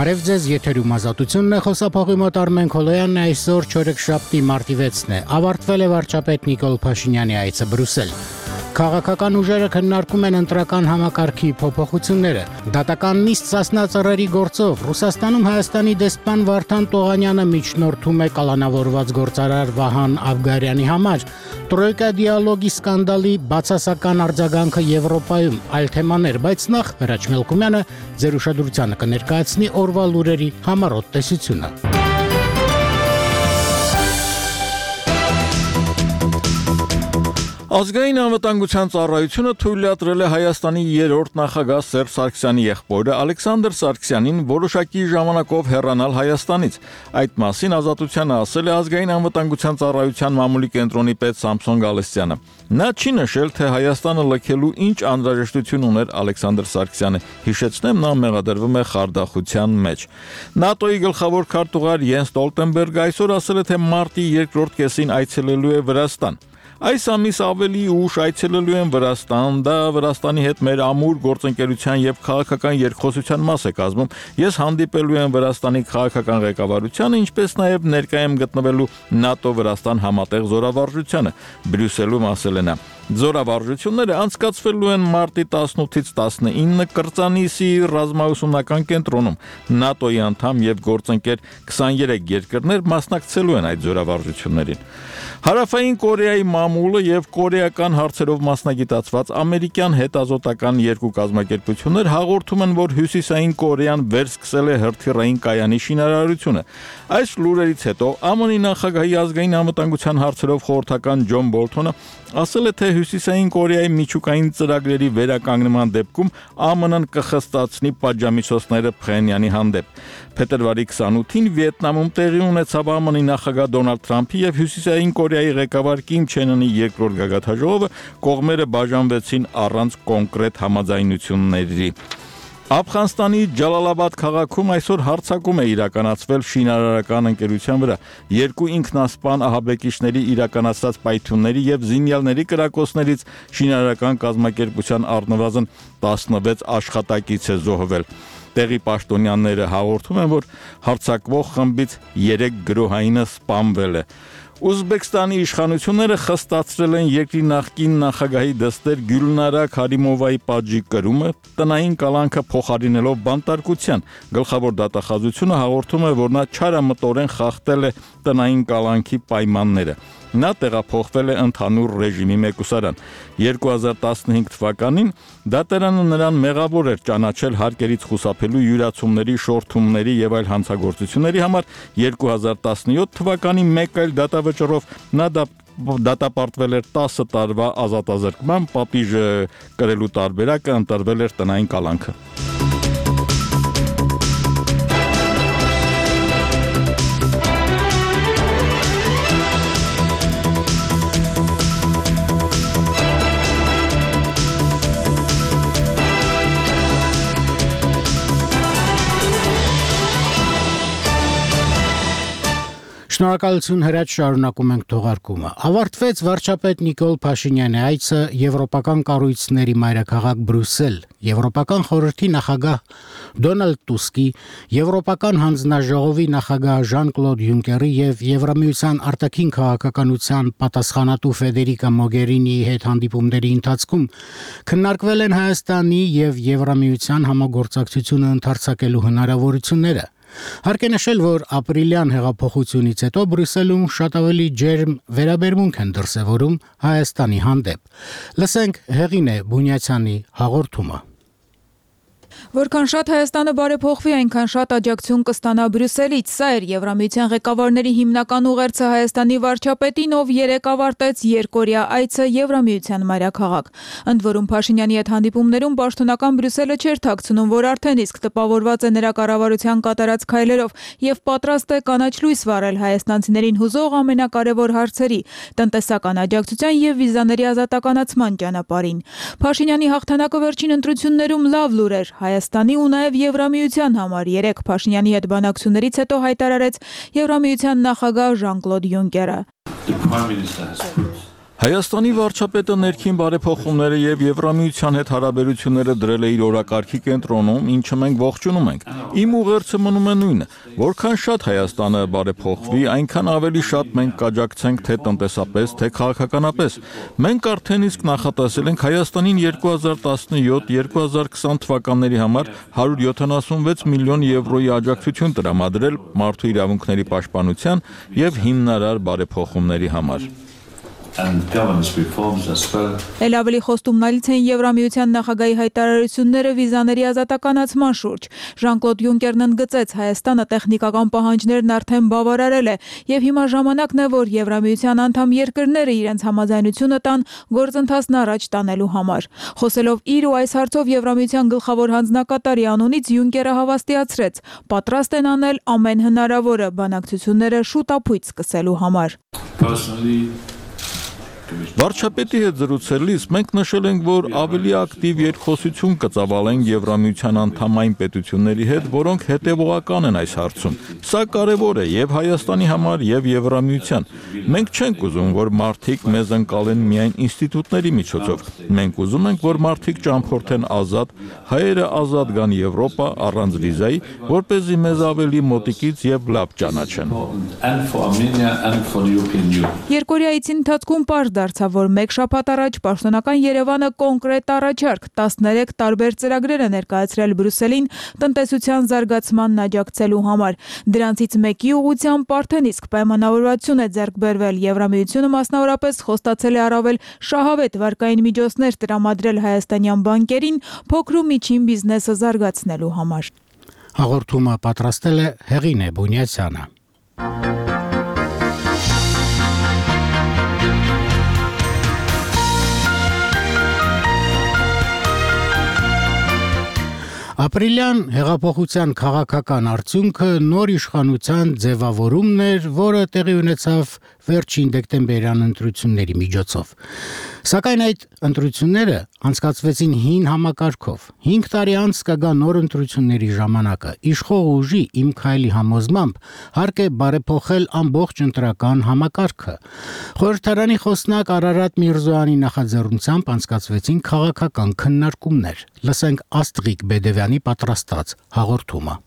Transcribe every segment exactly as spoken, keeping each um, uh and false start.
Բարև ձեզ, եթերում ազատությունն է, խոսափողի մոտ Արմեն Քոլոյանն է, այսօր չորեքշաբթի մարտի վեցն է, ավարտվել է վարչապետ Նիկոլ Փաշինյանի այցը Բրյուսել։ Քաղաքական ուժերը քննարկում են ընտրական համակարգի փոփոխությունները։ Դատական նիստ Սասնա ծռերի գործով Ռուսաստանում Հայաստանի դեսպան Վարդան Տողանյանը միջնորդում է կալանավորված գործարար Վահան Աբգարյանի համար։ Տրոյկա դիալոգի սկանդալի բացասական արձագանքը Եվրոպայում, այլ թեմաներ, բայց նախ Հրաչ Մելքումյանը ձեր ուշադրությանը կներկայացնի օրվա լուրերի համառոտ տեսությունը։ Ազգային անվտանգության ծառայությունը թույլատրել է Հայաստանի երրորդ նախագահ Սերժ Սարգսյանի եղբորը Ալեքսանդր Սարգսյանին որոշակի ժամանակով հեռանալ Հայաստանից։ Այդ մասին Ազատությանը ասել է Ազգային անվտանգության ծառայության մամուլի կենտրոնի պետ Սամսոն Գալստյանը։ Նա չի նշել, թե Հայաստանը լքելու ինչ անհրաժեշտություն ուներ Ալեքսանդր Սարգսյանը։ Հիշեցնեմ, նա մեղադրվում է խարդախության մեջ։ ՆԱՏՕ-ի գլխավոր քարտուղար Յենս Ստոլտենբերգը այսօր ասել է, թե մարտի երկրորդ կեսին այցելելու է Վրաստան։ Այս ամիս ավելի ուշ այցելելու են Վրաստան, դա Վրաստանի հետ մեր ամուր գործընկերության եւ քաղաքական երկխոսության մաս է կազմում։ Ես հանդիպելու եմ Վրաստանի քաղաքական ղեկավարությանը, ինչպես նաեւ ներկայ եմ գտնվելու ՆԱՏՕ-Վրաստան համատեղ զորավարժությանը, Բրյուսելում ասել է նա։ Զորավարժությունները անցկացվելու են մարտի տասնութից տասնինը Կրծանիսի ռազմաուսումնական կենտրոնում։ ՆԱՏՕ-ի անդամ եւ գործընկեր քսաներեք երկրներ մասնակցելու են այդ զորավարժություններին։ Հարավային Կորեայի մամուլը եւ կորեական հարցերով մասնագիտացված ամերիկյան հետազոտական երկու կազմակերպություններ հաղորդում են, որ Հյուսիսային Կորեան վերսկսել է հրթիռային կայանի շինարարությունը։ Այս լուրերից հետո ԱՄՆ-ի նախագահի ազգային անվտանգության հարցերով խորհրդական Ջոն Բոլթոնը ասել է, թե Հյուսիսային Կորեայի միջուկային ծրագրերի վերականգնման դեպքում ԱՄՆ-ն կխստացնի պատժամիջոցները Փխենյանի հանդեպ։ Փետրվարի քսանութին Վիետնամում տեղի ունեցավ ԱՄՆ-ի նախագահ Դոնալդ Թրամփի եւ Հյուսիսային Կորեայի ղեկավար Կիմ Չեն Ընի երկրորդ գագաթաժողովը, կողմերը բաժանվեցին առանց կոնկրետ համաձայնությունների։ Աֆղանստանի Ջալալաբադ քաղաքում այսօր հարձակում է իրականացվել շինարարական ընկերության վրա։ Երկու ինքնասպան ահաբեկիչների իրականացած պայթյունների եւ զինյալների կրակոցներից շինարարական կազմակերպության առնվազն տասնվեց աշխատակից է զոհվել։ Տեղի պաշտոնյաները հաղորդում են, որ հարձակվող խմբից երեք գրոհայինը սպանվել է։ Ուզբեկստանի իշխանությունները խստացրել են երկրի նախկին նախագահի դստեր Գյուլնարա Քարիմովայի պատժի կրումը, տնային կալանքը փոխարինելով բանտարկության։ Գլխավոր դատախազությունը հաղորդում է, որ նա չարամտորեն խախտել է տնային կալանքի պայմանները։ Նա տեղափոխվել է ընդհանուր ռեժիմի մեկուսարան։ երկու հազար տասնհինգ թվականին դատարանը նրան մեղավոր էր ճանաչել հարկերից խուսափելու յուրացումների, շորթումների եւ այլ հանցագործությունների համար։ երկու հազար տասնյոթ թվականի մեկ այլ դատավճռով նա դատապարտվել էր տասը տարվա ազատազրկման, պատիժը կրելու տարբերակը ընտրվել էր տնային կալանքը։ Շնորհակալություն Հրաչ, շարունակում ենք թողարկումը։ Ավարտվեց վարչապետ Նիկոլ Փաշինյանի այցը եվրոպական կառույցների մայրաքաղաք Բրյուսել։ Եվրոպական խորհրդի նախագահ Դոնալդ Տուսկի, Եվրոպական հանձնաժողովի նախագահ Ժան-Կլոդ Յունկերի եւ Եվրամիության արտաքին քաղաքականության պատասխանատու Ֆեդերիկա Մոգերինիի հետ հանդիպումների ընթացքում քննարկվել են Հայաստանի եւ Եվրամիության համագործակցությունը ընդարձակելու հնարավորությունները։ Հարկ է նշել, որ ապրիլյան հեղափոխությունից հետո Բրյուսելում շատ ավելի ջերմ վերաբերմունք են դրսևորում Հայաստանի հանդեպ։ Լսենք Հեղինե Բունյացյանի հաղորդումը։ Որքան շատ Հայաստանը բարեփոխվի, այնքան շատ աջակցություն կստանա Բրյուսելից։ Սա էր Եվրամիության ղեկավարների հիմնական ուղերձը Հայաստանի վարչապետին, ով երեկ ավարտեց երկօրյա այցը Եվրամիության մայրաքաղաք։ Ընդ որում Փաշինյանի հետ հանդիպումներում պաշտոնական Բրյուսելը չէր թաքցնում, որ արդեն իսկ տպավորված է նրա կառավարության կատարած քայլերով եւ պատրաստ է կանաչ լույս վառել հայաստանցիներին հուզող ամենակարևոր հարցերի՝ տնտեսական աջակցության եւ վիզաների ազատականացման ճանապարհին։ Փաշինյանի հաղթանակը վերջին ընտրություններում լավ լուր էր Հայաստանի ու նաև Եվրամիության համար։ Երեկ Փաշինյանի հետ բանակցություններից հետո հայտարարեց Եվրամիության նախագահ Ժան-Կլոդ Յունկերը։ Հայաստանի վարչապետը ներքին բարեփոխումները եւ Եվրամիության հետ հարաբերությունները դրել է իր օրակարգի կենտրոնում, ինչը մենք ողջունում ենք։ Իմ ուղերձը մնում է նույնը, որքան շատ Հայաստանը բարեփոխվի, այնքան ավելի շատ մենք կաջակցենք թե տնտեսապես, թե քաղաքականապես։ Մենք արդեն իսկ նախատեսել ենք Հայաստանին երկու հազար տասնյոթ երկու հազար քսան թվականների համար հարյուր յոթանասունվեց միլիոն եվրոյի աջակցություն տրամադրել մարդու իրավունքների պաշտպանության եւ հիմնարար բարեփոխումների համար։ Էլ ավելի խոստումնալից են Եվրամիության նախագահի հայտարարությունները վիզաների ազատականացման շուրջ։ Ժան-Կլոդ Յունկերն ընդգծեց, Հայաստանը տեխնիկական պահանջներն արդեն բավարարել է եւ հիմա ժամանակն է, որ Եվրամիության անդամ երկրները իրենց համաձայնությունը տան գործընթացն առաջ տանելու համար։ Խոսելով իր ու այս հարցով Եվրամիության գլխավոր հանձնակատարի անունից Յունկերը հավաստիացրեց, պատրաստ են անել ամեն հնարավորը բանակցությունները շուտապույտ սկսելու համար։ Վարչապետի հետ զրուցելիս մենք նշել ենք, որ ավելի ակտիվ երկխոսություն կծավալենք Եվրամիության անդամային պետությունների հետ, որոնք հետևողական են այս հարցում։ Սա կարևոր է եւ Հայաստանի համար, եւ Եվրամիության։ Մենք չենք ուզում, որ մարդիկ մեզ ընկալեն միայն ինստիտուտների միջոցով։ Մենք ուզում ենք, որ մարդիկ ճամփորդեն ազատ, հայերը ազատ գան Եվրոպա առանց վիզայի, որպեսզի մեզ ավելի մոտիկից եւ լավ ճանաչեն։ Երկորիայցի ընթացքում պարզ դարձավ, որ մեկ շաբաթ առաջ պաշտոնական Երևանը կոնկրետ առաջարկ տասներեք տարբեր ծրագրեր է ներկայացրել Բրյուսելին տնտեսության զարգացմանն աջակցելու համար։ Դրանցից մեկի ուղղությամբ արդեն իսկ պայմանավորվածություն է ձեռք բերվել։ Եվրամիությունը մասնավորապես խոստացել է առավել շահավետ վարկային միջոցներ տրամադրել հայաստանյան բանկերին փոքր ու միջին բիզնեսը զարգացնելու համար։ Հաղորդումը պատրաստել է Հեղինե Բունյացյանը։ Ապրիլյան հեղափոխության քաղաքական արդյունքը նոր իշխանության ձևավորումն էր, որը տեղի ունեցավ վերջին դեկտեմբերյան ընտրությունների միջոցով։ Սակայն այդ ընտրությունները անցկացվեցին հին համակարգով։ հինգ տարի անց կգա նոր ընտրությունների ժամանակը։ Իշխող ուժի Իմ քայլի համոզմամբ հարկ է բարեփոխել ամբողջ ընտրական համակարգը։ Խորհրդարանի խոսնակ Արարատ Միրզոյանի նախաձեռնությամբ անցկացվեցին քաղաքական քննարկումներ։ Լսենք Աստղիկ Բեդևյանի պատրաստած հաղորդումը։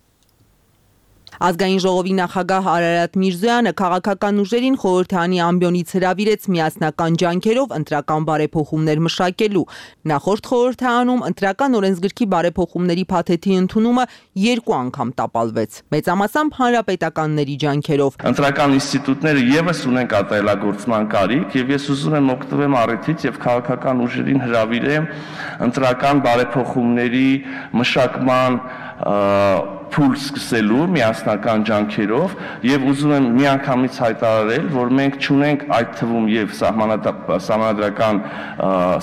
Ազգային ժողովի նախագահ Արարատ Միրզոյանը քաղաքական ուժերին խորհրդարանի ամբիոնից հրավիրեց միասնական ջանքերով ընտրական բարեփոխումներ մշակելու։ Նախորդ խորհրդարանում ընտրական օրենսգրքի բարեփոխումների փաթեթի ընդունումը երկու անգամ տապալվեց, մեծամասամբ հանրապետականների ջանքերով։ Ընտրական ինստիտուտները եւս ունեն կատարելագործման կարիք, եւ ես ուզում եմ օգտվեմ առիթից եւ քաղաքական ուժերին հրավիրեմ ընտրական բարեփոխումների մշակման փուլ սկսելու միասնական ջանքերով եւ ուզում եմ միանգամից հայտարարել, որ մենք չունենք այդ թվում եւ սահմանադրական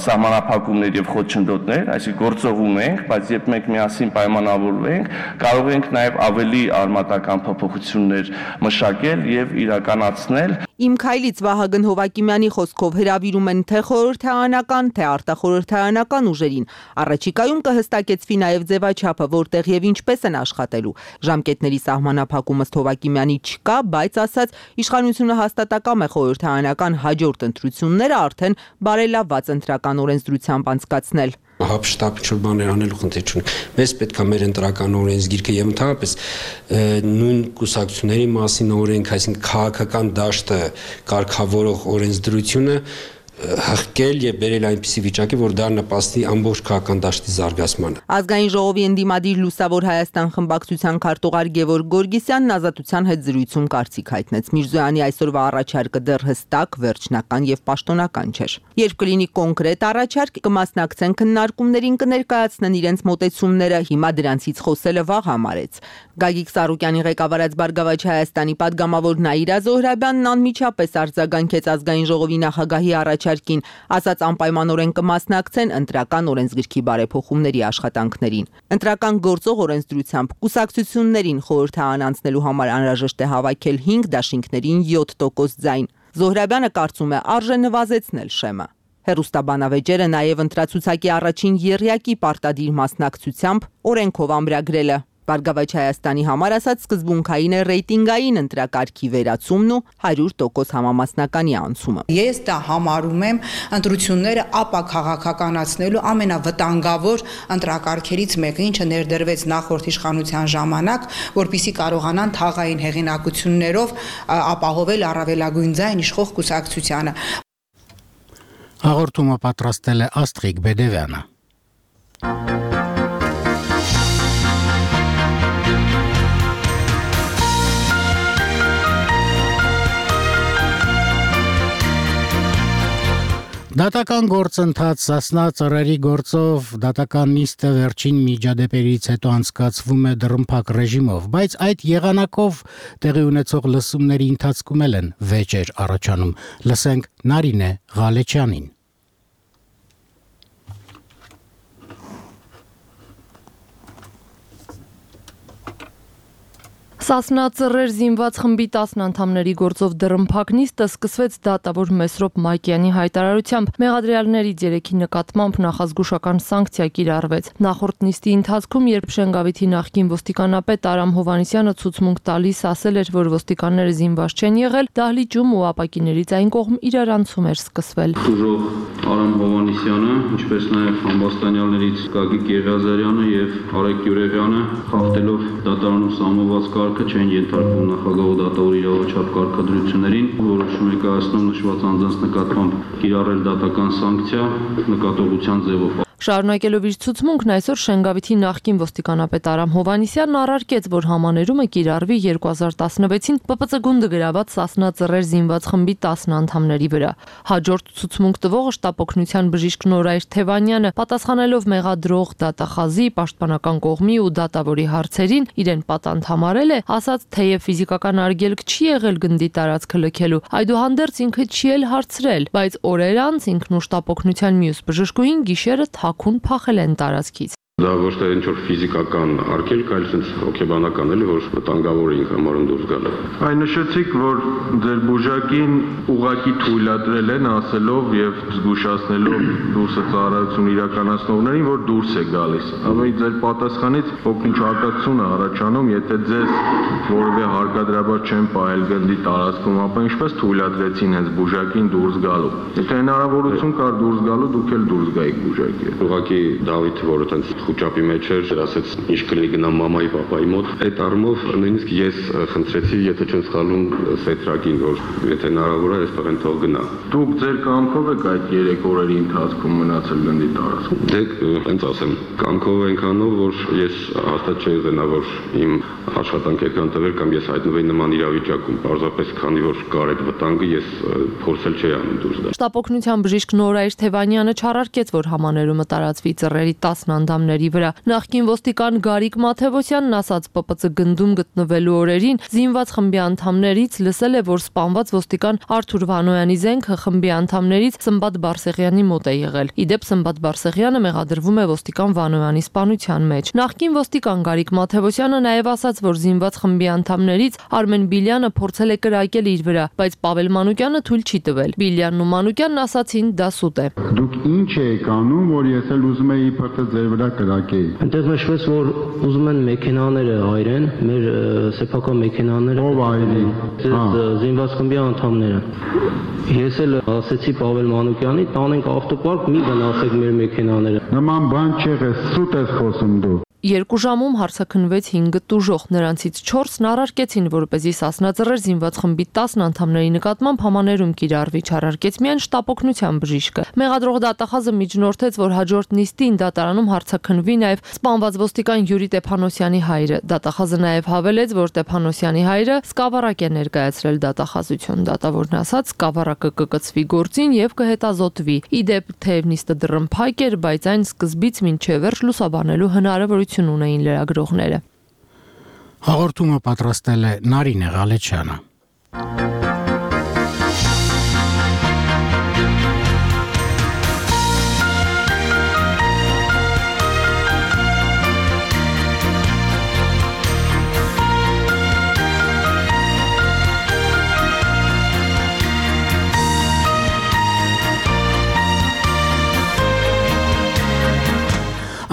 սահմանափակումներ եւ խոչընդոտներ, այսինքն գործողում ենք, բայց երբ մենք միասին պայմանավորվենք, կարող ենք նաեւ ավելի արմատական փոփոխություններ մշակել եւ իրականացնել։ Իմ քայլից Վահագն Հովակիմյանի խոսքով հրավիրում են թե խորհրդարանական, թե արտախորհրդարանական ուժերին։ Առաջիկայում կհստակեցվի նաեւ ձևաչափը, որտեղ եւ ինչպես են աշխատելու։ Ժամկետների սահմանափակումը Հովակիմյանի չկա, բայց ասաց, իշխանությունը հաստատակամ է խորհրդարանական հաջորդ ընտրությունները արդեն բարելավված ընտրական օրենսդրությամբ անցկացնել։ Հապշտապ ինչ-որ բաներ անելու խնդիր չունենք։ Մեզ պետք է մեր ընտրական օրենսգիրքը եւ ընդհանրապես նույն կուսակցությունների մասին օրենք, այսինքն քաղաքական դաշտը կարգավորող օրենսդրությունը հղկել եւ բերել այնպիսի վիճակի, որ դա նպաստի ամբողջ քաղաքական դաշտի զարգացմանը։ Ազգային ժողովի ընդդիմադիր Լուսավոր Հայաստան խմբակցության քարտուղար Գևորգ Գորգիսյանն Ազատության հետ զրույցում կարծիք հայտնեց։ Միրզոյանի այսօրվա առաջարկը դեռ հստակ, վերջնական եւ պաշտոնական չէր։ Երբ կլինի կոնկրետ առաջարկ, կմասնակցեն քննարկումներին, կներկայացնեն իրենց մոտեցումները, հիմա դրանցից խոսելը վաղ համարեց։ Գագիկ Սարուկյանի ղեկավարած Բարգավաճ Հայաստանի падգամավոր Նաիրա Զոհրաբյանն անմիջապես արձագանքեց ազգային ժողովի նախագահի առաջարկին, ասաց անպայմանորեն կմասնակցեն ընտրական օրենսգրքի բարեփոխումների աշխատանքներին։ Ընտրական գործող օրենսդրությամբ կուսակցություններին խորհրդարան անցնելու համար անհրաժեշտ է հավաքել հինգ դաշինքներին յոթ տոկոս ձայն։ Զոհրաբյանը կարծում է արժե նվազեցնել շեմը։ Հեռուստաբանավեճերը նաև ընտրացուցակի առաջին եռյակի պարտադիր մասնակցությամբ օրենքով ամրագրել է։ Բարգավաճ Հայաստանի համար ասած սկզբունքային է ռեյտինգային ընտրակարգի վերացումն ու հարյուր տոկոս համամասնականի անցումը։ Ես դա համարում եմ ընտրությունները ապաքաղաքականացնելու ամենավտանգավոր ընտրակարգերից մեկը, ինչը ներդրվեց նախորդ իշխանության ժամանակ, որպեսզի կարողանան թաղային հեղինակություններով ապահովել առավելագույն ձայն իշխող կուսակցությանը։ Հաղորդումը պատրաստել է Աստղիկ Բեդևյանը։ Դատական գործընթաց Սասնա ծռերի գործով դատական նիստը վերջին միջադեպերից հետո անցկացվում է դռնփակ ռեժիմով, բայց այդ եղանակով տեղի ունեցող լսումների ընթացքում են վեճեր առաջանում։ Լսենք Նարինե Ղալեչյանին։ Սասնա ծռեր զինված խմբի տասն անդամների գործով դռնփակ նիստը սկսվեց դատավոր Մեսրոպ Մակյանի հայտարարությամբ։ Մեղադրյալներից երեքի նկատմամբ նախազգուշական սանկցիա կիրառվեց։ Նախորդ նիստի ընթացքում, երբ Շենգավիթի նախկին ոստիկանապետ Արամ Հովհաննիսյանը ցուցմունք տալիս ասել էր, որ ոստիկանները զինված չեն եղել, դահլիճում ու ապակիներից այն կողմ իրարանցում էր սկսվել։ Ուժող Արամ Հովհաննիսյանը, ինչպես նաև համբաստանյալներից Գագիկ Եղիազարյանը եւ Արեգ Գյուրեվյանը, խախտելով դատարանում սահմանված կարգը չեն ենթարկվում նախագահ դատավոր իրավաչափ կարգադրություններին, որոշում է կայացնում նշված անձանց նկատմամբ կիրառել դատական սանկցիա նկատողության ձևով։ Շարունակելով իր ցուցմունքն այսօր Շենգավիթի նախկին ոստիկանապետ Արամ Հովհաննիսյանն առարկեց, որ համաներումը կիրառվի երկու հազար տասնվեցին Պ Պ Ծ գունդը գրաված Սասնա ծռեր զինված խմբի տասն անդամների վրա։ Հաջորդ ցուցմունք տվողը շտապօգնության բժիշկ Նորայր Թևանյանը, պատասխանելով մեղադրող դատախազի, պաշտպանական կողմի ու դատավորի հարցերին, իրեն պատանդ համարել է, ասաց, թեև ֆիզիկական արգելք չի եղել գնդի տարածքը լքելու, այդուհանդերձ ինքը չի էլ հարցրել, բայց օրեր անց ինքն ու շտապօգնության մյուս բժշկուհին գիշերը թաքուն փախել են տարածքից։ Դա ոչ թե ինչ-որ ֆիզիկական արգելք, այլ sense հոգեբանական էլի, որ վտանգավոր էինք համարում դուրս գալը։ Այն նշեցիք, որ ձեր բուժակին ուղակի թույլատրել են ասելով եւ զգուշացնելով դուրսը ծառայություն իրականացնողներին, որ դուրս է գալիս։ Ամենից ձեր պատասխանից ոքինչ արկածություն է առաջանում, եթե ձեզ որևէ հարկադրաբար չեն պահել գնդի տարածքում, ապա ինչպես թույլատրեցին հենց բուժակին դուրս գալու։ Եթե հնարավորություն կար դուրս գալու, դուք էլ դուրս գայիք բուժակի։ Ուղղակի Դավիթը, որը տենց խոճապի մեջ էր, ասաց ինչ կլինի գնամ մամայի, պապայի մոտ։ Այդ առումով նույնիսկ ես խնդրեցի, եթե չեմ սխալվում, Սեթրակին, որ եթե հնարավոր է, այստեղ են թող գնա։ Դուք ձեր կամքով եք այդ երեք օրերի ընթացքում մնացել գնդի տարածքում։ Դե, հենց ասեմ, կամքով ենք անում, որ ես հաստատ չէի ուզենա, որ իմ աշխատանքը այդքան տվեր կամ ես հայտնվեի նման իրավիճակում, պարզապես քանի որ կար այդ վտանգը, ես փորձել չէի անում դուրս գալ։ Շտապօգնության բժիշկ Նորայր Թևանյանը չարարկեց, որ համաներումը տարածվի ծռերի տասն անդամների վրա։ Նախկին ոստիկան Գարիկ Մաթևոսյանն ասաց Պ Պ Ծ գնդում գտնվելու օրերին զինված խմբի անդամներից լսել է, որ սպանված ոստիկան Արթուր Վանոյանի զենքը խմբի անդամներից Սմբատ Բարսեղյանի մոտ է եղել։ Իդեպ Սմբատ Բարսեղյանը մեղադրվում է ոստիկան Վանոյանի սպանության մեջ։ Նախկին ոստիկան Գարիկ Մաթևոսյանը նաև ասաց, որ զինված խմբի անդամներից Արմեն Բիլյանը փորձել է կրակել իր վրա, բայց Պավել Մանուկյանը թույլ չի տվել։ Բիլյանն ու Մանուկյանն ասացին՝ դա սուտ է։ Դուք ինչ եք անում, որ ես էլ ուզում եի իբրտե ձեր վրա կրակեի։ Այնտեղ նշվեց, որ ուզում են մեքենաները այրեն, մեր սեփական մեքենաները։ Ով այրի։ Զինված խմբի անդամները։ Ես էլ ասեցի Պավել Մանուկյանի, տանենք ավտոպարկ, մի գնացեք մեր մեքենաները։ Նման բան չեղե, սուտ ես խոսում դու։ Երկու ժամում հարցաքննվեց հինգ տուժող, նրանցից չորսն առարկեցին, որպեսզի Սասնա ծռեր զինված խմբի տասն անդամների նկատմամբ համաներում կիրառվի, չարարկեց միայն շտապօգնության բժիշկը։ Մեղադրող դատախազը միջնորդեց, որ հաջորդ նիստին դատարանում հարցաքննվի նաև սպանված ոստիկան Յուրի Տեփանոսյանի հայրը։ Դատախազը նաև հավելեց, որ Տեփանոսյանի հայրը սկավառակ է ներկայացրել դատախազություն։ Դատավորն ասաց, սկավառակը կկցվի գործին եւ կհետազոտվի։ Իդեպ թեև նիստը դռնփակ էր, բայց այն սկզբից մինչև վերջ լուսաբանելու հնարավորություն ունեին լրագրողները։ Հաղորդումը պատրաստել է Նարինե Ղալեչյանը։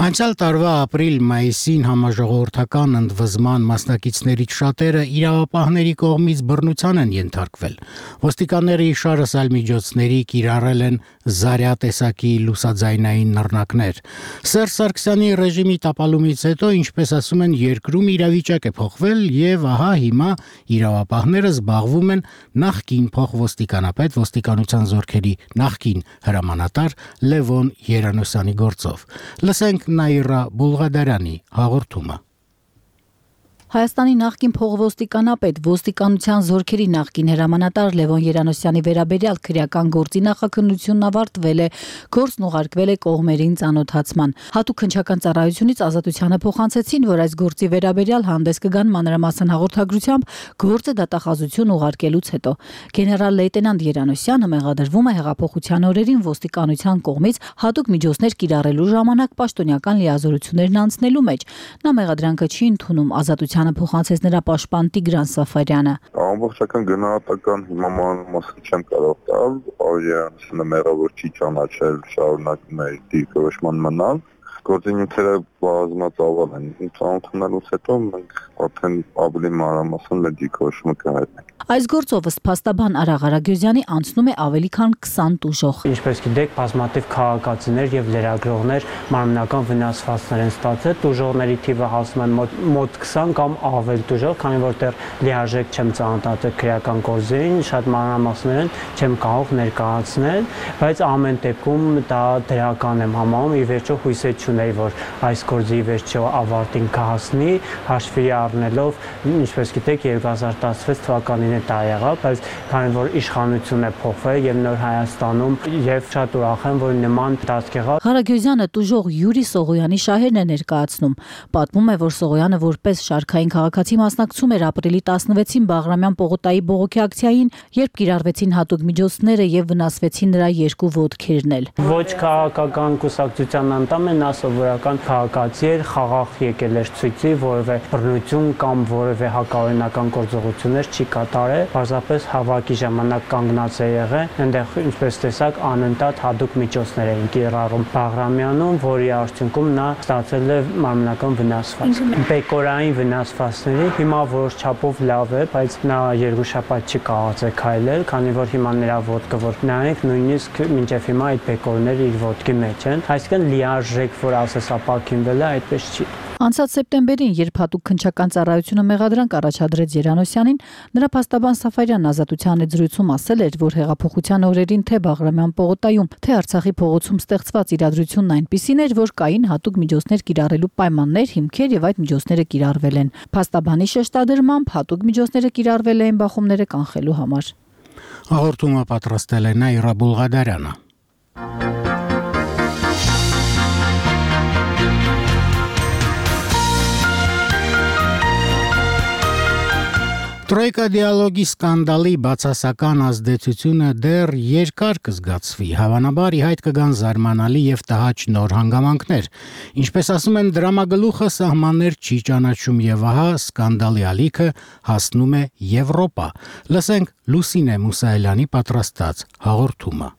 Անցյալ տարվա ապրիլ-մայիսին համաժողովրդական ընդվզման մասնակիցներից շատերը իրավապահների կողմից բռնության են ենթարկվել։ Ոստիկանները իշարսալ միջոցների կիրառել են զարյա տեսակի լուսաձայնային նռնակներ։ Սերժ Սարգսյանի ռեժիմի տապալումից հետո, ինչպես ասում են, երկրում իրավիճակ է փոխվել եւ ահա հիմա իրավապահները զբաղվում են նախկին փոխոստիկանապետ ոստիկանության զորքերի նախկին հրամանատար Լևոն Երանոսյանի գործով։ Լսենք Նաիրա Բուլղադարյանի հաղորդումը։ Հայաստանի նախկին փոխոստիկանապետ ոստիկանության զորքերի նախկին հրամանատար Լևոն Երանոսյանի վերաբերյալ քրեական գործի նախաքննությունն ավարտվել է, գործն ուղարկվել է կողմերին ծանոթացման։ Հատուկ քննչական ծառայությունից ազատությանը փոխանցեցին, որ այս գործի վերաբերյալ հանդես կգան մանրամասն հաղորդագրությամբ գործը դատախազություն ուղարկելուց հետո։ Գեներալ լեյտենանտ Երանոսյանը մեղադրվում է հեղափոխության օրերին ոստիկանության կողմից հատուկ միջոցներ կիրառելու ժամանակ պաշտոնյական լիազորություններն անցնելու մեջ։ Նա մեղադրանքը չի ընդունում, ազատության փոխանցեց նրա պաշտպան Տիգրան Սաֆարյանը։ Ամբողջական գնահատական հիմա մանրամասն չեմ կարող տալ, Երանոսյանը մեղավոր չի ճանաչել, շարունակում է դիրքորոշման մնալ։ Գործունեությունը բազմածավալ են։ Ծանոթանալուց հետո մենք արդեն ավելի մանրամասն մեր դիրքորոշումը կհայտնենք։ Այս գործով ըստ փաստաբան Արա Ղարագյուզյանի անցնում է ավելի քան քսան տուժող։ Ինչպես գիտեք, բազմաթիվ քաղաքացիներ եւ լրագրողներ մարմնական վնասվածքներ են ստացել։ Տուժողների թիվը հասնում է մոտ, մոտ քսան կամ ավել տուժող, քանի որ դեռ լիարժեք չեմ ծանոթացել քրեական գործերին, շատ մանրամասներն չեմ կարող ներկայացնել, բայց ամեն դեպքում դա դրական եմ համարում, ի վերջո հույսեր չունեի, որ այս գործի վերջո ավարտին կհասնի, հաշվի առնելով, ինչպես գիտեք, երկու հազար տասնվեց թվականին դա եղավ, բայց քանի որ իշխանությունն է փոխվել եւ նոր Հայաստանում եւ շատ ուրախ եմ, որ նման դասք եղավ։ Ղարագյուզյանը տուժող Յուրի Սողոյանի շահերն է ներկայացնում։ Պատմում է, որ Սողոյանը որպես շարքային քաղաքացի մասնակցում էր ապրիլի տասնվեցին Բաղրամյան պողոտայի բողոքի ակցիային, երբ կիրառվեցին հատուկ միջոցները եւ վնասվեցին նրա երկու ոտքերն էլ։ Ոչ քաղաքական կուսակցության անդամ է, նա սովորական քաղաքացի էր, խաղաղ եկել էր ցույցի, որևէ բռնություն կամ որևէ հակաօրինական գործողություններ չի կատարել, պարզապես հավաքի ժամանակ կանգնած է եղել, այնտեղ ինչպես տեսակ անընդհատ հատուկ միջոցներ էին կիրառում Բաղրամյանում, որի արդյունքում նա ստացել է մարմնական վնասված։ Բեկորային վնասվածքների հիմա որոշ չափով լավ է, բայց նա երկու շաբաթ չի կարողացել քայլել, քանի որ հիմա նրա ոտքը որ նայենք, նույնիսկ մինչև հիմա այդ բեկորները իր ոտքի մեջ են, այսինքն լիարժեք, որ ասես ապակինվել է, այդպես չի։ Անցած սեպտեմբերին, երբ հատուկ քննչական ծառայությունը մեղադրանք առաջադրեց Երանոսյանին, նրա փաստաբան Սաֆարյանն ազատության հետ զրույցում ասել էր, որ հեղափոխության օրերին թե Բաղրամյան պողոտայում, թե Արցախի փողոցում ստեղծված իրադրությունն այնպիսին էր, որ կային հատուկ միջոցներ կիրառելու պայմաններ, հիմքեր եւ այդ միջոցները կիրառվել են։ Փաստաբանի շեշտադրմամբ հատուկ միջոցները կիրառվել էին բախումները կանխելու համար։ Հաղորդումը պատրաստել է Նաիրա Բուլղադարյանը։ Տրոյկա դիալոգի սկանդալի բացասական ազդեցությունը դեռ երկար կզգացվի, հավանաբար ի հայտ կգան զարմանալի եւ տհաճ նոր հանգամանքներ։ Ինչպես ասում են, դրամագլուխը սահմաններ չի ճանաչում եւ ահա սկանդալի ալիքը հասնում է Եվրոպա։ Լսենք Լուսինե Մուսայելյանի պատրաստած հաղորդումը։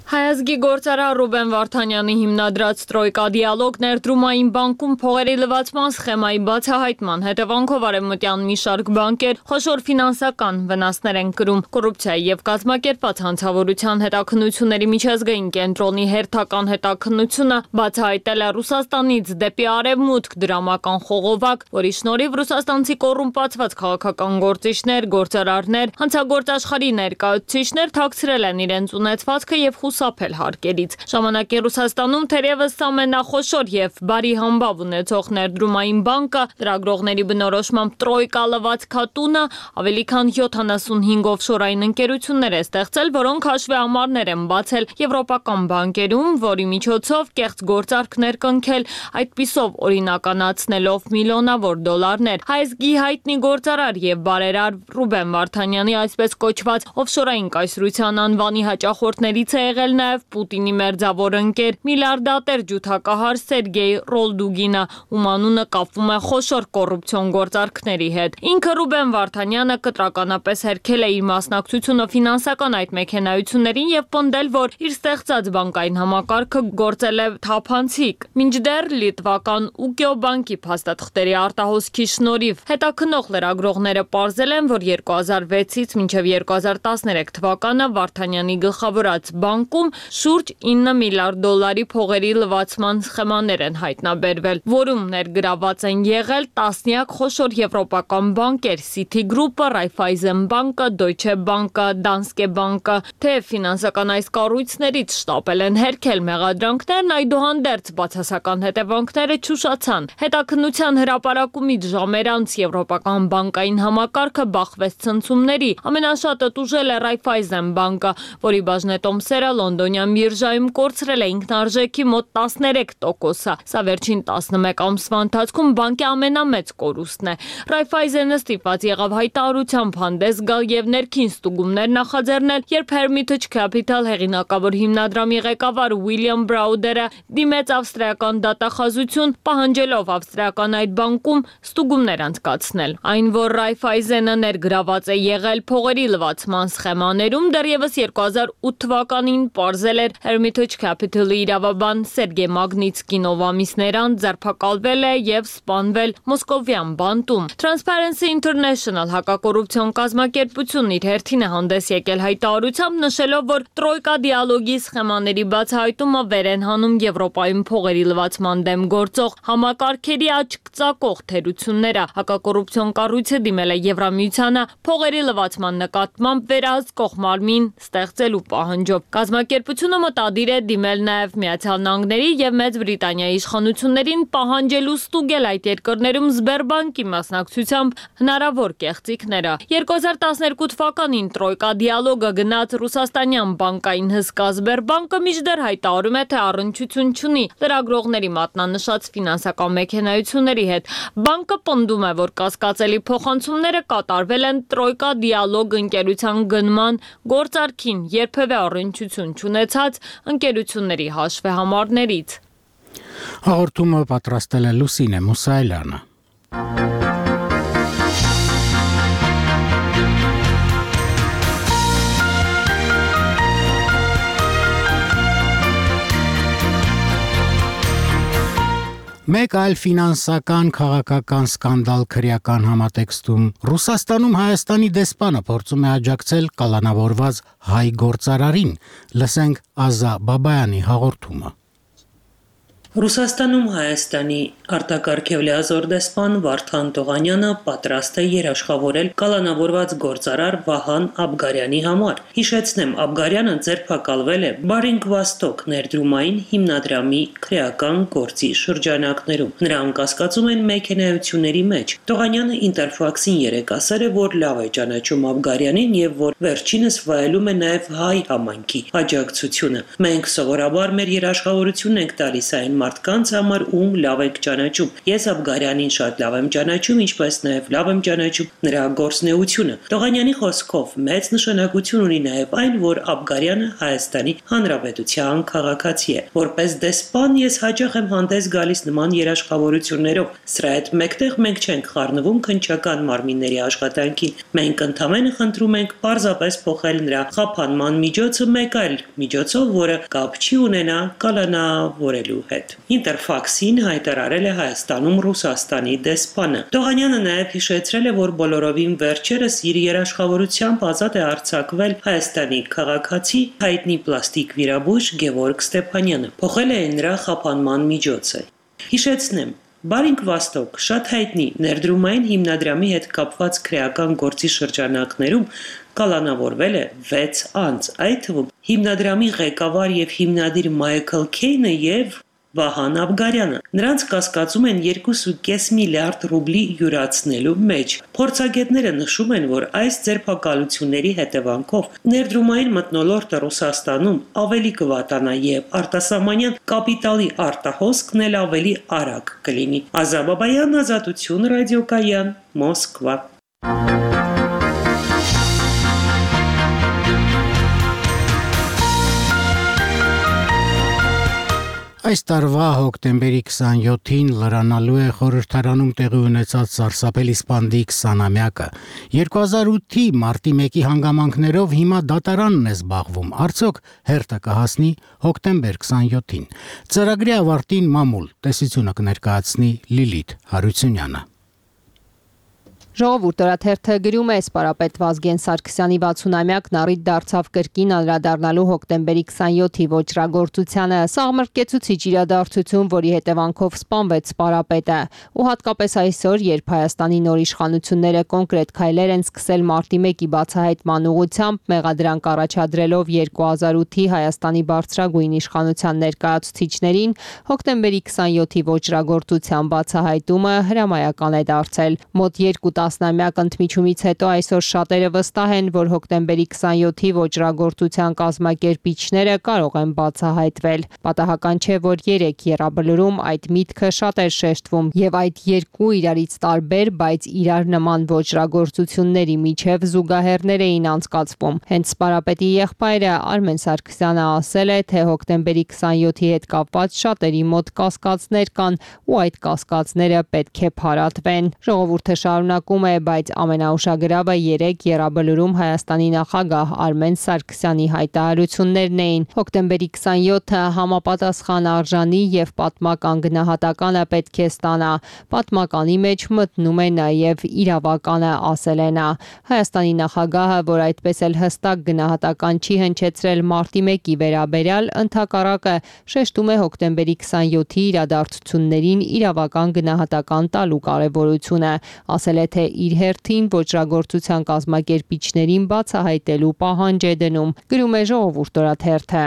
Հայազգի գործարար Ռուբեն Վարդանյանի հիմնադրած Տրոյկա դիալոգ ներդրումային բանկում փողերի լվացման սխեմայի բացահայտման հետևանքով արևմտյան մի շարք բանկեր խոշոր ֆինանսական վնասներ են կրում։ Կոռուպցիայի եւ կազմակերպված հանցավորության հետաքննությունների միջազգային կենտրոնի հերթական հետաքննությունը բացահայտել է Ռուսաստանից դեպի արևմուտք դրամական խողովակ, որի շնորհիվ ռուսաստանցի կոռումպացված քաղաքական գործիչներ, գործարարներ, հանցագործ աշխարհի ներկայացուցիչներ թաքցրել են իրենց ունեցվածքը եւ խուսափել հարկերից։ Ժամանակի Ռուսաստանում թերևս ամենախոշոր եւ բարի համբավ ունեցող ներդրումային բանկը լրագրողների բնորոշմամբ Տրոյկա լվացքատունը ավելի քան յոթանասունհինգ օֆշորային ընկերություններ է ստեղծել, որոնք հաշվեհամարներ են բացել եվրոպական բանկերում, որի միջոցով կեղծ գործարքներ կնքել, այդպիսով օրինականացնելով միլիոնավոր դոլարներ։ Հայազգի հայտնի գործարար եւ բարերար Ռուբեն Վարդանյանի այսպես կոչված օֆշորային կայսրության անվանի հաճախորդներից է եղել նշել նաև Պուտինի մերձավոր ընկեր միլիարդատեր ջութակահար Սերգեյ Ռոլդուգինը, ում անունը կապվում է խոշոր կոռուպցիոն գործարքների հետ։ Ինքը Ռուբեն Վարդանյանը կտրականապես հերքել է իր մասնակցությունը ֆինանսական այդ մեքենայություններին եւ պնդել, որ իր ստեղծած բանկային համակարգը գործել է թափանցիկ։ Մինչդեռ լիտվական Ուկիո բանկի փաստաթղթերի արտահոսքի շնորհիվ հետաքնող լրագրողները պարզել են, որ երկու հազար վեցից մինչև երկու հազար տասներեք թվականը Վարդանյանի գլխավորած բանկում շուրջ ինը միլիարդ դոլարի փողերի լվացման սխեմաներ են հայտնաբերվել, որում ներգրաված են եղել տասնյակ խոշոր եվրոպական բանկեր՝ Citigroup-ը, Raiffeisen բանկը, Deutsche Bank-ը, Danske Bank-ը, թեև ֆինանսական այս կառույցներից շտապել են հերքել մեղադրանքներն, այդուհանդերձ բացասական հետևանքները չուշացան։ Հետաքննության հրապարակումից ժամեր անց եվրոպական բանկային համակարգը բախվեց ցնցումների, ամենաշատը տուժել է Raiffeisen բանկը, որի բաժնետոմսերը լոնդոնյան բիրժայում կորցրել է ինքնարժեքի մոտ տասներեք տոկոսը։ Սա վերջին տասնմեկ ամսվա ընթացքում բանկի ամենամեծ կորուստն է։ Raiffeisen-ը ստիպված եղավ հայտարարությամբ հանդես գալ եւ ներքին ստուգումներ նախաձեռնել, երբ Hermitage Capital հեղինակավոր հիմնադրամի ղեկավար Ուիլյամ Բրաուդերը դիմեց ավստրիական դատախազություն, պահանջելով ավստրիական այդ բանկում ստուգումներ անցկացնել։ Այն, որ Raiffeisen-ը ներգրաված է եղել փողերի լվացման սխեմաներում, դեռևս երկու հազար ութ թվականին պարզել էր Hermitage Capital-ի իրավաբան Սերգեյ Մագնիտսկին, ով ամիսներ անց ձերբակալվել է եւ սպանվել Մոսկովյան բանտում։ Transparency International հակակոռուպցիոն կազմակերպությունն իր հերթին է հանդես եկել հայտարարությամբ, նշելով, որ տրոյկա դիալոգի սխեմաների բացահայտումը վեր են հանում Եվրոպայում փողերի լվացման դեմ գործող համակարգերի աչք ծակող թերությունները։ Հակակոռուպցիոն կառույցը դիմել է Եվրամիությանը փողերի լվացման նկատմամբ վերահսկող մարմին ստեղծելու պահանջով։ Կազմակերպությունը մտադիր է դիմել նաև Միացյալ Նահանգների եւ Մեծ Բրիտանիայի իշխանություններին պահանջելու ստուգել այդ երկրներում Սբերբանկի մասնակցությամբ հնարավոր կեղծիքները։ երկու հազար տասներկու թվականին տրոյկա դիալոգը գնաց ռուսաստանյան բանկային հսկա Սբերբանկը մինչդեռ հայտարարում է, թե առնչություն չունի լրագրողների մատնանշած ֆինանսական մեքենայությունների հետ։ Բանկը պնդում է, որ կասկածելի փոխանցումները կատարվել են տրոյկա դիալոգ ընկերության գնման գործարքին երբևէ առնչություն չունեցած ընկերությունների հաշվեհամարներից։ Հաղորդումը պատրաստել է Լուսինե Մուսայելյանը։ Մեկ այլ ֆինանսական քաղաքական սկանդալ քրեական համատեքստում Ռուսաստանում Հայաստանի դեսպանը փորձում է աջակցել կալանավորված հայ գործարարին։ Լսենք Ազա Բաբայանի հաղորդումը։ Ռուսաստանում Հայաստանի արտակարգ եւ լիազոր դեսպան Վարդան Տողանյանը պատրաստ է երաշխավորել կալանավորված գործարար Վահան Աբգարյանի համար։ Հիշեցնեմ, Աբգարյանը ձերբակալվել է Բարինգ Վաստոկ ներդրումային հիմնադրամի քրեական գործի շրջանակներում։ Նրան կասկածում են մեքենայությունների մեջ։ Տողանյանը Ինտերֆաքսին երեկ ասել է, որ լավ է ճանաչում Աբգարյանին եւ որ վերջինս վայելում է նաեւ հայ համայնքի աջակցությունը։ Մենք սովորաբար մեր երաշխավորությունն ենք տալիս այն մարդկանց համար, ում լավ եք ճանաչում։ Ես Աբգարյանին շատ լավ եմ ճանաչում, ինչպես նաև լավ եմ ճանաչում նրա գործունեությունը։ Տողանյանի խոսքով մեծ նշանակություն ունի նաև այն, որ Աբգարյանը Հայաստանի Հանրապետության քաղաքացի է։ Որպես դեսպան ես հաճախ եմ հանդես գալիս նման երաշխավորություններով։ Սրա հետ մեկտեղ մենք չենք խառնվում քննչական մարմինների աշխատանքին։ Մենք ընդհանրապես խնդրում ենք պարզապես փոխել նրա խափանման միջոցը մեկ այլ միջոցով, որը կապ չի ունենա կալանավորելու հետ։ Ինտերֆաքսին հայտարարել է Հայաստանում Ռուսաստանի դեսպանը։ Տողանյանը նաև հիշեցրել է, որ բոլորովին վերջերս իր երաշխավորությամբ ազատ է արձակվել Հայաստանի քաղաքացի հայտնի պլաստիկ վիրաբույժ Գևորգ Ստեփանյանը։ Փոխել է նրա խափանման միջոցը։ Հիշեցնեմ, Բարինգ Վաստոկ շատ հայտնի ներդրումային հիմնադրամի հետ կապված քրեական գործի շրջանակներում կալանավորվել է վեց անձ, այդ թվում հիմնադրամի ղեկավար եւ հիմնադիր Մայքլ Քեյնը եւ Վահան Աբգարյանը։ Նրանց կասկածում են երկու կόμμα պենս միլիարդ ռուբլի յուրացնելու մեջ։ Փորձագետները նշում են, որ այս ձերբակալությունների հետևանքով ներդրումային մթնոլորտը Ռուսաստանում ավելի կվատանա եւ արտասահմանյան կապիտալի արտահոսքն էլ ավելի արագ կլինի։ Ազա Բաբայան, Ազատություն, ռադիոկայան, Մոսկվա։ Այս տարվա հոկտեմբերի քսանյոթին լրանալու է խորհրդարանում տեղի ունեցած սարսափելի սպանդի քսանամյակը։ երկու հազար ութի մարտի մեկի հանգամանքներով հիմա դատարանն է զբաղվում։ Արդյոք հերթը կհասնի հոկտեմբեր քսանյոթին։ Ծրագրի ավարտին մամուլ տեսությունը կներկայացնի Լիլիթ Հարությունյանը։ Ժողովուրդ օրաթերթը գրում է սպարապետ Վազգեն Սարգսյանի վաթսունամյակն առիթ դարձավ կրկին անդրադառնալու հոկտեմբերի քսանյոթի ոճրագործությանը։ Սաղմռկեցուցիչ իրադարձություն, որի հետևանքով սպանվեց սպարապետը։ Ու հատկապես այսօր, երբ Հայաստանի նոր իշխանությունները կոնկրետ քայլեր են սկսել մարտի մեկի բացահայտման ուղղությամբ, մեղադրանք առաջադրելով երկու հազար ութի Հայաստանի բարձրագույն իշխանության ներկայացուցիչներին, հոկտեմբերի քսանյոթի ոճրագործության բացահայտումը հրամայական է դարձել։ Մոտ երկու տասնամյակ ընդմիջումից հետո այսօր շատերը վստահ են, որ հոկտեմբերի քսանյոթի ոճրագործության կազմակերպիչները կարող են բացահայտվել։ Պատահական չէ, որ երեք եռաբլուրում այդ միտքը շատ էր շեշտվում եւ այդ երկու իրարից տարբեր, բայց իրար նման ոճրագործությունների միջև զուգահեռներ էին անցկացվում։ Հենց սպարապետի եղբայրը Արմեն Սարգսյանը ասել է, թե հոկտեմբերի քսանյոթի հետ կապված շատերի մոտ կասկածներ կան ու այդ կասկածները պետք է փարատվեն։ Ժողովուրդը շարունակ է, բայց ամենաուշագրավը երեք եռաբլուրում Հայաստանի նախագահ Արմեն Սարգսյանի հայտարարություններն էին։ Հոկտեմբերի քսանյոթը համապատասխան արժանի եւ պատմական գնահատականը պետք է ստանա։ Պատմականի մեջ մտնում է նաեւ իրավականը, ասել է նա։ Հայաստանի նախագահը, որ այդպես էլ հստակ գնահատական չի հնչեցրել մարտի մեկի վերաբերյալ, ընդհակառակը շեշտում է հոկտեմբերի քսանյոթի իրադարձություններին իրավական գնահատական տալու կարևորությունը, ասել է, թե իր հերթին ոճրագործության կազմակերպիչներին բացահայտելու պահանջ է դնում, գրում է Ժողովուրդ օրաթերթը։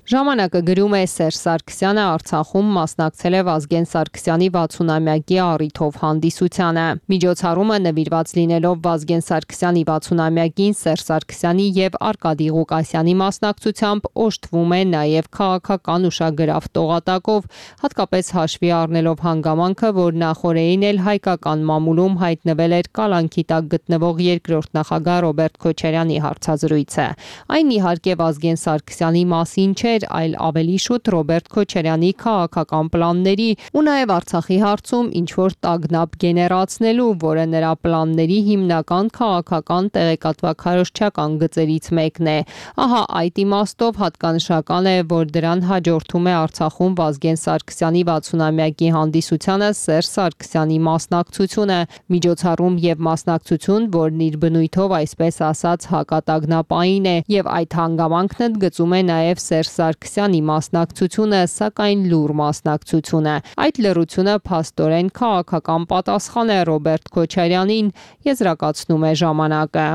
Ժամանակը գրում է Սերժ Սարգսյանը Արցախում մասնակցել է Վազգեն Սարգսյանի վաթսունամյակի առիթով հանդիսությանը։ Միջոցառումը նվիրված լինելով Վազգեն Սարգսյանի վաթսունամյակին Սերժ Սարգսյանի եւ Արկադի Ղուկասյանի մասնակցությամբ օժտվում է նաեւ քաղաքական ուշագրավ տողատակով, հատկապես հաշվի առնելով հանգամանքը, որ նախորդին էլ հայկական մամուլում հայտնվել էր կալանքի տակ գտնվող երկրորդ նախագահ Ռոբերտ Քոչարյանի հարցազրույցը։ Այն իհարկե Վազգեն Սարգսյանի մասին չէ, այլ ավելի շուտ Ռոբերտ Քոչարյանի քաղաքական պլանների ու նաև Արցախի հարցում ինչ-որ տագնապ գեներացնելու, որը նրա պլանների հիմնական քաղաքական տեղեկատվաքարոզչական գծերից մեկն է։ Ահա այդ իմաստով հատկանշական է, որ դրան հաջորդում է Արցախում Վազգեն Սարգսյանի վաթսունամյակի հանդիսությանը Սերժ Սարգսյանի մասնակցությունը, միջոցառում եւ մասնակցություն, որն իր բնույթով այսպես ասած հակատագնապային է, եւ այդ հանգամանքն ընդգծում է նաև Սերժ Սարգսյանի մասնակցությունը, սակայն լուր մասնակցությունը։ Այդ լռությունը փաստորեն քաղաքական պատասխան է Ռոբերտ Քոչարյանին, եզրակացնում է ժամանակը։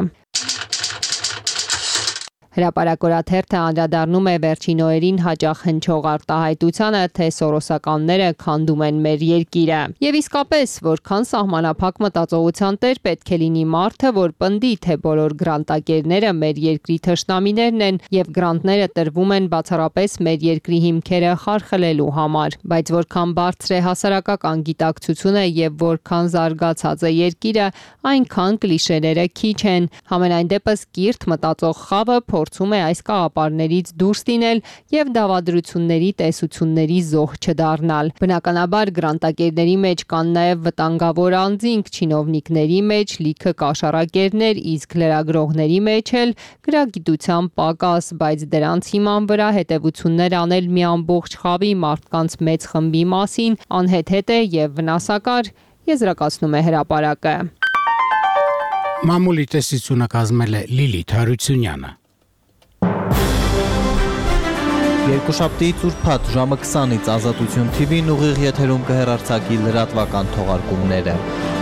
Հրապարակորաթերթը անդրադառնում է վերջին օրերին հաճախ հնչող արտահայտությանը, թե սորոսականները քանդում են մեր երկիրը։ Եվ իսկապես, որքան սահմանափակ մտածողության տեր պետք է լինի մարդը, որ պնդի, թե բոլոր գրանտակերները մեր երկրի թշնամիներն են եւ գրանտները տրվում են բացառապես մեր երկրի հիմքերը խարխլելու համար։ Բայց որքան բարձր է հասարակական գիտակցությունը եւ որքան զարգացած է երկիրը, այնքան կլիշեները քիչ են։ Համենայն դեպս կիրթ մտածող խավը փորձում է այս կաղապարներից դուրս լինել եւ դավադրությունների տեսությունների զոհ չդառնալ։ Բնականաբար գրանտակերների մեջ կան նաեւ վտանգավոր անձինք, չինովնիկների մեջ լիքը կաշառակերներ, իսկ լրագրողների մեջ էլ գրագիտության պակաս, բայց դրանց հիման վրա հետևություններ անել մի ամբողջ խավի մարդկանց մեծ խմբի մասին անհեթեթ է եւ վնասակար, եզրակացնում է հրապարակը։ Մամուլի տեսությունը կազմել է Լիլիթ Հարությունյանը։ Երկուշաբթի ծուրփաթ ժամը քսանից Ազատություն թի վին ուղիղ եթերում կհեռարձակի լրատվական թողարկումները։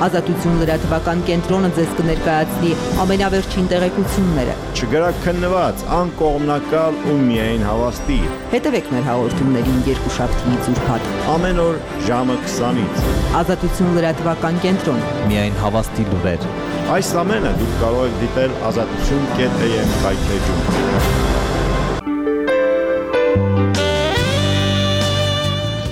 Ազատություն լրատվական կենտրոնը ձեզ կներկայացնի ամենավերջին տեղեկությունները։ Չգրաքննված, անկողմնակալ ու միայն հավաստի։ Հետևեք մեր հաղորդումներին երկուշաբթի ծուրփաթ ամեն օր ժամը քսանից։ Ազատություն լրատվական կենտրոն։ Միայն հավաստի լուրեր։ Այս ամենը դուք կարող եք դիտել ազատություն կետ է եմ կայքեջում։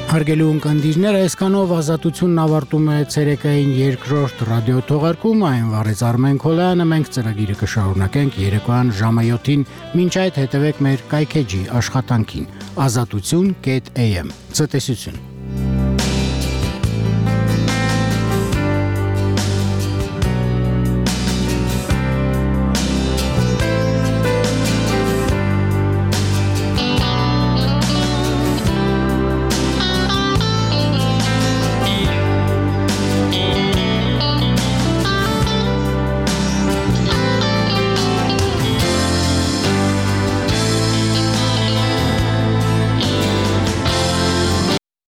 Հարգելի ունկնդիրներ, այսքանով Ազատությունն ավարտում է ցերեկային երկրորդ ռադիո թողարկումը, այն վարեց Արմեն Քոլյանը, մենք ծրագիրը կշարունակենք երեկոյան ժամը յոթին, մինչ այդ հետևեք մեր կայքեջի աշխատանքին։ ազատություն կետ am Ցտեսություն։